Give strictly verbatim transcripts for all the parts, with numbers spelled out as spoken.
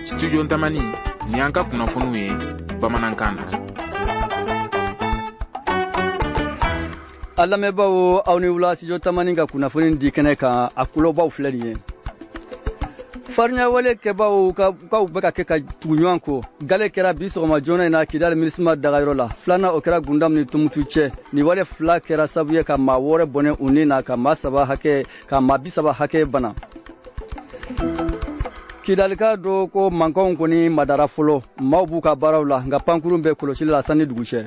Studio Tamani, ni an ka kunnafoniw ye bamanankan na. A lamɛnbaaw, aw ni wula. Studio Tamani ka kunnafoni di kɛnɛ kan, a kulobaw filɛ nin ye. Farinyawale kɛbaw kaw bɛ ka kɛ ka tugu ɲɔgɔn kɔ. Gale kɛra bi sɔgɔma joona in na Kidali MINUSMA dagayɔrɔ la. Filanan, o kɛra Gundam ni Tumutu cɛ. Nin wale fila kɛra sababu ye ka maa wɔɔrɔ bɔnɛ u ni na, ka maa saba hakɛ ka maa bi saba hakɛ bana. Kidalika dɔ ko mankanw kɔni madara fɔlɔ, maaw b'u ka baaraw la, nka pankurun bɛ kɔlɔsili la sanni dugu cɛ.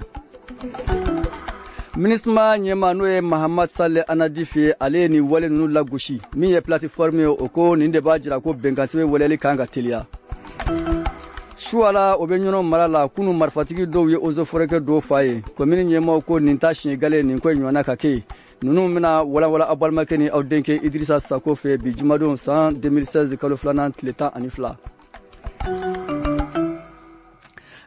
MINUSMA ɲɛma, n'o ye Mahamad Saleh Anadif ye, ale ye nin wale ninnu lagosi. Min ye plateforme ye, o ko nin de b'a jira ko bɛnkansɛbɛn waleyali kan ka teliya. Suwala, o bɛ Ɲɔnɔ mara la, kunu marifatigi dɔw ye eaux et forêts dɔw fa ye. Komini ɲɛmaw ko nin ta siɲɛ gale nin ko ɲɔgɔnna ka kɛ. Ninnu bɛna walawala aw balimakɛ ni aw denkɛ Idirisa Sako fɛ bi jumadon, san deux mille seize kalo filanan tile tan ani fila.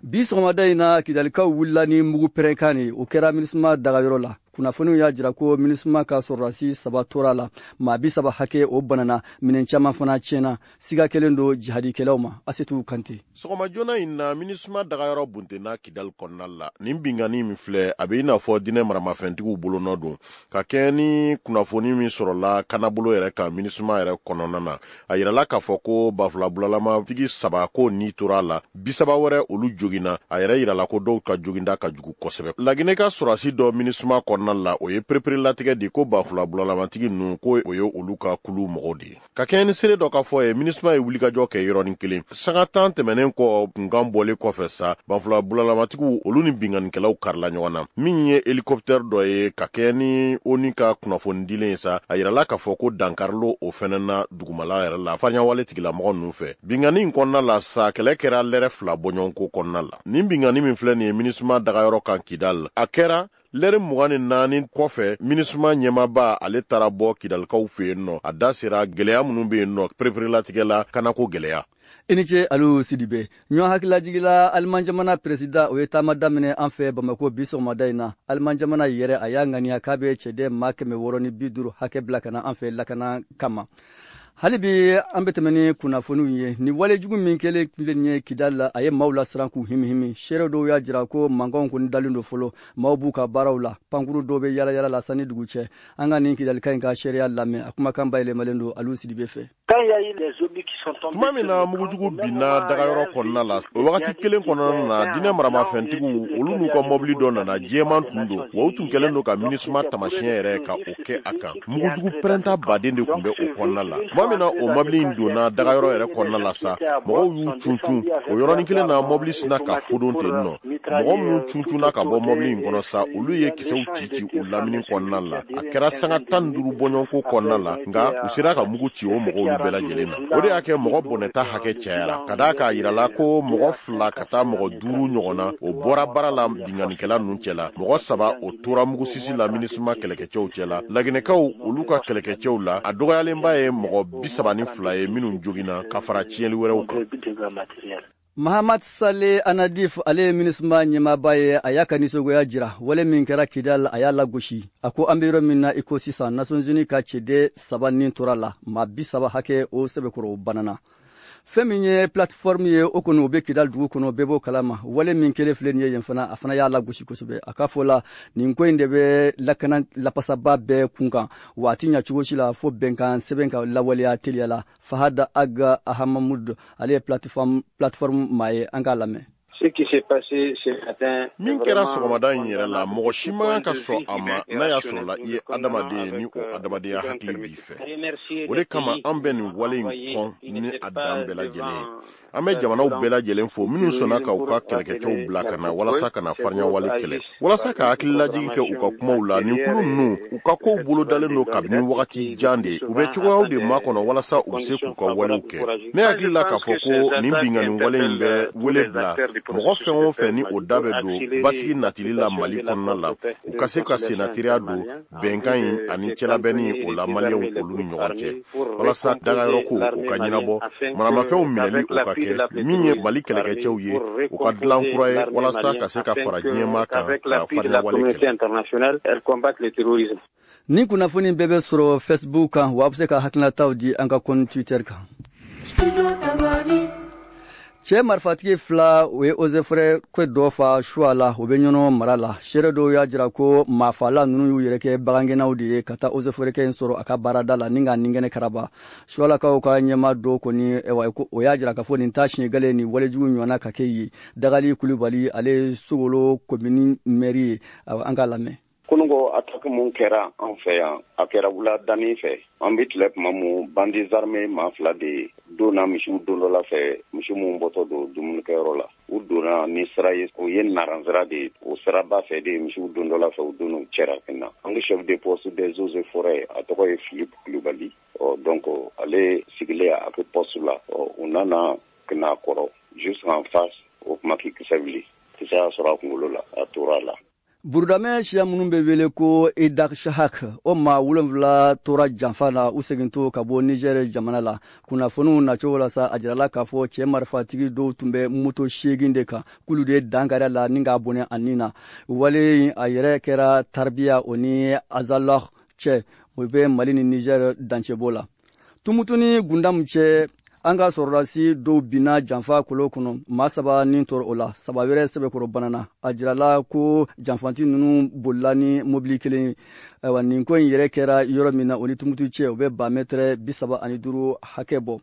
Bi sɔgɔmada in na, Kidalikaw wulila ni mugu pɛrɛnkan ye. O kɛra MINUSMA dagayɔrɔ la. Kunnafoniw y'a jira ko MINUSMA ka sɔrɔdasi saba tora la, maa bi saba hakɛ o banana, minɛn caman fana tiɲɛna. Siga kɛlen don jihadikɛlaw ma. Asetu Kante. Sɔgɔma joona in na, MINUSMA dagayɔrɔ buntenna Kidali kɔnɔna la. Nin binkanni min filɛ, a bɛ i n'a fɔ dinɛ maramafɛntigiw bolonɔ don. Ka kɛɲɛ ni kunnafoni min sɔrɔla kanabolo yɛrɛ kan MINUSMA yɛrɛ kɔnɔna na, a yirala k'a fɔ ko bafula bulalamatigi saba ko ni tora a la, bisaba wɛrɛ olu joginna. A yɛrɛ yirala ko dɔw ka joginda ka jugu kosɛbɛ. Laginɛ ka sɔrɔdasi dɔ MINUSMA kɔnɔna la, o ye pereperelatigɛ di ko bafula bulalamatigi ninnu, ko o ye olu ka kulu mɔgɔw de ye. Ka kɛɲɛ ni seere dɔ ka fɔ ye, MINUSMA ye wulikajɔ kɛ yɔrɔnin kelen. Sanga tan tɛmɛnen kɔ kunkan bɔlen kɔfɛ sa, banfula bulalalamatigiw olu ni binkannikɛlaw karila ɲɔgɔn na. Min ye hélicoptère dɔ ye, ka kɛɲɛ ni ONU ka kunnafoni dilen ye sa, a yirala k'a fɔ ko dankarilo o fɛnɛ na dugumala yɛrɛ la fariɲawale tigilamɔgɔ ninnu fɛ. Binkanni in kɔnɔna la sa, kɛlɛ kɛra lɛrɛ fila bɔɲɔgɔnko kɔnɔna la. Nin binkanni min filɛ nin ye MINUSMA dagayɔrɔ kan Kidal, a kɛra lɛri mugan ni naani kɔfɛ. MINUSMA ɲɛmaba, ale taara bɔ Kidalikaw fɛ yen nɔ. A da sera gwɛlɛya minnu be yen nɔ, pereperelatigɛ la kanako gwɛlɛya. I ni ce, Alu Sidibe. Ɲɔgɔn hakililajigila, Aliman jamana président, o ye taama daminɛ an fɛ Bamako bi sɔgɔmada in na. Aliman jamana yɛrɛ, a y'a ŋaniya k'a bɛ cɛden maa kɛmɛ wɔɔrɔ ni bi duuru hakɛ bila ka na an fɛ lakana kama. Hali bi an bɛ tɛmɛ ni kunnafoniw ye. Ni walejugu min kɛlen filɛ nin ye Kidali la, a ye maaw lasiran k'u himihimi. Seere dɔw y'a jira ko mankanw kɔni dalen don fɔlɔ, maaw b'u ka baaraw la, pankuru dɔw bɛ yala yala la sanni dugu cɛ. An ka nin Kidalika in ka seereya lamɛn, a kumakan bayɛlɛmalen don Alu Sidibe fɛ. Tuma min na mugujugu binna dagayɔrɔ kɔnɔna la, o wagati kelen kɔnɔna na, dinɛ maramafɛntigiw olu n'u ka mɔbili dɔ nana, jɛman tun don wa, u tun kɛlen don ka MINUSMA tamasiyɛn yɛrɛ ka o kɛ a kan. Mugujugu pɛrɛnta baden de tun bɛ o kɔnɔna la. Tuma min na o mɔbili in donna dagayɔrɔ yɛrɛ kɔnɔna la sa, mɔgɔw y'u cuncun. O yɔrɔnin kelen na, mɔbili sina ka fodon ten nɔ. Mɔgɔ minnu cuncunna ka bɔ mɔbili in kɔnɔ sa, olu ye kisɛw ci ci u lamini kɔnɔna la. A kɛra sanga tan ni duuru bɔɲɔgɔnko kɔnɔna la, nka u sera ka mugu ci o mɔgɔw bɛɛ lajɛlen na. O de y'a kɛ mɔgɔ bɔnɛta hakɛ cayara, ka d'a k'a yirala ko mɔgɔ fila ka taa mɔgɔ duuru ɲɔgɔn na, o bɔra baara la binkannikɛla ninnu cɛ la. Mɔgɔ saba, o tora mugusisi la MINUSMA kɛlɛkɛcɛw cɛ la. Laginɛkaw olu ka kɛlɛkɛcɛw la, a dɔgɔyalenba ye mɔgɔ bi saba ni fila ye minnu joginna, ka fara tiɲɛli wɛrɛw kan. Mahamad Saleh Anadif, ale ye MINUSMA ɲɛmaaba ye, a y'a ka nisɔngoya jira. Wale min kɛra Kidal, a y'a lagosi. A ko an bɛ yɔrɔ min na i ko sisan, Nations Unies ka ciden saba nin tora la, maa bi saba hakɛ o sɛbɛkɔrɔ banana. Fɛn min ye plateforme ye, o kɔni o bɛ Kidal dugu kɔnɔ, bɛɛ b'o kalama. Wale min kɛlen filɛ nin ye yen fana, a fana y'a lagosi kosɛbɛ. A ka fɔ la, nin ko in de bɛ lakana lapasaba bɛɛ kun kan, wa a ti ɲa cogo si la fo bɛnkan sɛbɛn ka lawaleya teliya la. Fahad Aga Ahamamud, ale ye plateforme plateforme maa ye, an k'a lamɛn. Min kɛra sɔgɔmada in yɛrɛ la, mɔgɔ si man kan ka sɔn a ma, n'a y'a sɔrɔla i ye adamaden ye ni o adamadenya hakili b'i fɛ. O de kama an bɛ nin wale in kɔn ni a dan bɛɛ lajɛlen ye. An bɛ jamanaw bɛɛ lajɛlen fo minnu sɔnna ka u ka kɛlɛkɛcɛw bila ka na walasa ka na farinyawale kɛlɛ, walasa ka hakililajigin kɛ u ka kumaw la. Nin kulu ninnu, u ka kow bolodalen don kabini wagati jan de. U bɛ cogoyaw de makɔnɔ walasa u bɛ se k'u ka walew kɛ. Ne hakili la k'a fɔ ko nin binkanni wale in bɛ wele bila mɔgɔ fɛn o fɛn ni o da bɛ don basigi natili la Mali kɔnɔna la, u ka se ka sennatiriya don bɛnkan in ani cɛlabɛnni o la Maliyɛnw olu ni ɲɔgɔn cɛ, walasa dagayɔrɔ ko o ka ɲɛnabɔ, maramafɛnw minɛli o ka kɛ, min ye Mali kɛlɛkɛcɛw ye, u ka dilan kura ye walasa ka se ka fara diɲɛmaa kan ka farinyawale kɛlɛ. Ni kunnafoni bɛɛ bɛ sɔrɔ Facebook kan, wa a bɛ se ka hakilinataw di an ka compte Twitter kan. Cɛ marifatigi fila o ye eaux et forêts ko dɔ fa suwa la, o bɛ Ɲɔnɔ mara la. Seere dɔw y'a jira ko maafala ninnu y'u yɛrɛ kɛ bagangɛnnaw de ye ka taa eaux et forêts kɛ in sɔrɔ a ka baarada la ni k'a ninkɛnɛ karaba. Suwalakaw ka ɲɛmaa dɔw kɔni, o y'a jira k'a fɔ nin t'a siɲɛ gale ni walejugu ɲɔgɔnna ka kɛ yen. Dagali Kulubali, ale ye Sogolo komini mɛri ye, an k'a lamɛn. Kununko attaque mun kɛra an fɛ yan, a kɛra wula danni fɛ. An bɛ tile tuma mun, bandits armés maa fila de donna misiw don dɔ la fɛ, misi mun bɔtɔ don dumunikɛyɔrɔ la. U donna ni sira ye, o ye naransira de ye, o siraba fɛ de misiw don dɔ la fɛ, u donna u cɛra ka na. An ka chef de poste des eaux et forêts, a tɔgɔ ye Philippe Kulubali. Ɔ donc ale sigilen a ka poste la, ɔ u nana ka n'a kɔrɔ juste en face, o kuma k'i kisɛ wuli, kisɛ y'a sɔrɔ a kunkolo la, a tora a la. Burudamɛ siya minnu bɛ wele ko Idak Shahak, o maa wolonfila tora janfa la u segintɔ ka bɔ Niger jamana la. Kunnafoniw nacogo la sa, a jirala k'a fɔ cɛ marifatigi dɔw tun bɛ moto seegin de kan, k'olu de ye dankari a la ni k'a bɔnɛ a nin na. Wale in a yɛrɛ kɛra Tarbiya o ni Azalor cɛ, o bɛ Mali ni Niger dancɛbɔ la. Tumutu ni Gundamu cɛ, an ka sɔrɔdasi dɔw binna janfa kolo kɔnɔ, maa saba ni tɔɔrɔ o la, saba wɛrɛ sɛbɛkɔrɔ banana. A jirala ko janfanti ninnu bolila ni mobili kelen ye. Ayiwa, nin ko in yɛrɛ kɛra yɔrɔ min na, o ni Tumutu cɛ, o bɛ ba mɛtɛrɛ bi saba ani duuru hakɛ bɔ.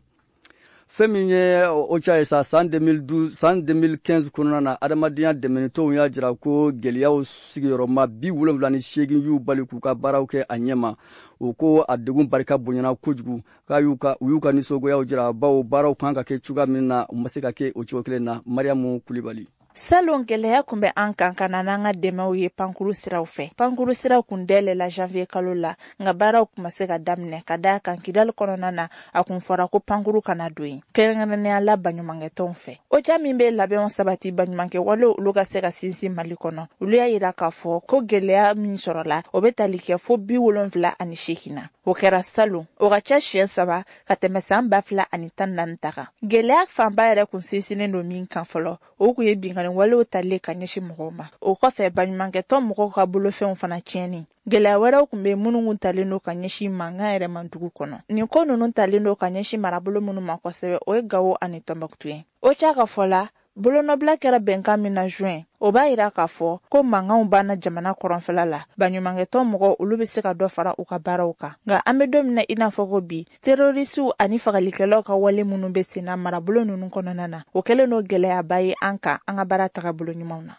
Fɛn min ye OCHA ye sa, san deux mille douze, san deux mille quinze kɔnɔna na, adamadenya dɛmɛnitɔnw y'a jira ko gɛlɛyaw sigiyɔrɔma bi wolonwula ni seegin y'u bali k'u ka baaraw kɛ a ɲɛma. O ko a degun barika bonyana kojugu, k'a y'u ka u y'u ka nisɔngoyaw jira, bawo baaraw kan ka kɛ cogoya min na, u ma se ka kɛ o cogo kelen na. Mariyamu Kulibali. Salon, gɛlɛya kun bɛ an kan ka na n'an ka dɛmɛw ye pankuru siraw fɛ. Pankuru siraw kun dayɛlɛla janvier kalo la, nka baaraw kun ma se ka daminɛ ka d'a kan Kidali kɔnɔna na, a kun fɔra ko pankuru kana don yen, kɛrɛnkɛrɛnnenya la baɲumankɛtɔnw fɛ. OCHA min bɛ labɛnw sabati baɲumankɛ walew olu ka se ka sinsin Mali kɔnɔ, olu y'a yira k'a fɔ ko gɛlɛya min sɔrɔla, o bɛ tali kɛ fo bi wolonfila ani seegin na. O kɛra salon, o ka ca siɲɛ saba ka tɛmɛ san ba fila ani tan naani ta kan. Gɛlɛya fanba yɛrɛ kun sinsinnen don min kan fɔlɔ, o kun ye binkanni walew talen ka ɲɛsin mɔgɔw ma. O kɔfɛ, baɲumankɛtɔn mɔgɔw ka bolofɛnw fana tiɲɛni. Gɛlɛya wɛrɛw kun bɛ minnu kun talen don ka ɲɛsin mankan yɛrɛ ma dugu kɔnɔ. Nin ko ninnu talen don ka ɲɛsin marabolo minnu ma kosɛbɛ, o ye Gawo ani Tɔnbɔkutu ye. OCHA ka fɔ la, bolonɔbila kɛra bɛnkan min na juin, o b'a yira k'a fɔ ko mankanw banna jamana kɔrɔnfɛla la, baɲumankɛtɔn mɔgɔw olu bɛ se ka dɔ fara u ka baaraw kan. Nka an bɛ don min na i n'a fɔ ko bi, terorisiw ani fagalikɛlaw ka wale minnu bɛ sen na marabolo ninnu kɔnɔna na, o kɛlen don gɛlɛyaba ye an kan an ka baara tagabolo ɲumanw na.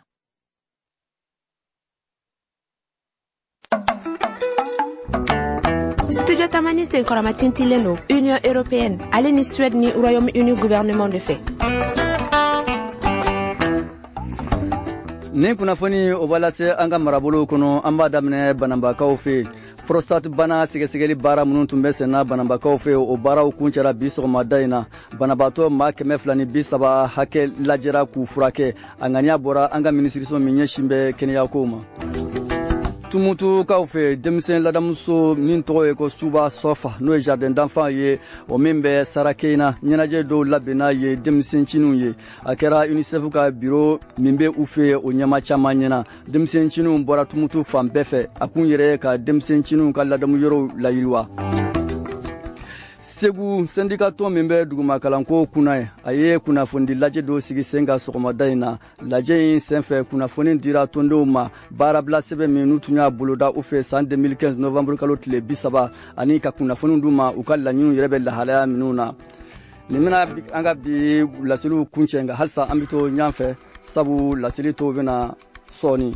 Studio Tamani senkɔrɔma tintilen don Union européenne ale ni Suède ni Royaume-Uni gouvernement de fɛ. Nin kunnafoni o b'a lase an ka marabolow kɔnɔ. An b'a daminɛ Bananbakaw fɛ yen. Prostate bana sɛgɛsɛgɛli baara minnu tun bɛ senna Bananbakaw fɛ, o baaraw kuncɛra bi sɔgɔmada in na. Banabaatɔ maa kɛmɛ fila ni bi saba hakɛ lajɛra k'u furakɛ. A ŋaniya bɔra an ka minisiriso min ɲɛsin bɛ kɛnɛyakow ma. Tumutukaw fɛ, denmisɛn ladamuso min tɔgɔ ye ko Suba Sɔfa, n'o ye jardin d'enfant ye, o min bɛ Sarakeyina, ɲɛnajɛ dɔw labɛnna ye denmisɛncinw ye. A kɛra UNICEF ka biro min bɛ u fɛ, o ɲɛma caman ɲɛna. Denmisɛncinw bɔra Tumutu fan bɛɛ fɛ. A kun yɛrɛ ka denmisɛncinw ka ladamu yɔrɔw layiriwa. Segu, sɛndika tɔn min bɛ dugumakalanko kunna ye, a ye kunnafonidi lajɛ dɔw sigi sen kan sɔgɔmada in na. Lajɛ in senfɛ, kunnafoni dira tɔndenw ma baarabila sɛbɛn min n'u tun y'a boloda u fɛ san deux mille quinze novembre kalo tile bi saba, ani ka kunnafoni d'u ma u ka laɲiniw yɛrɛ bɛ lahalaya minnu na. Nin bɛna an ka bi laseliw kuncɛ, nka halisa an bɛ to ɲɔgɔn fɛ, sabu laseli tɔw bɛna sɔɔni.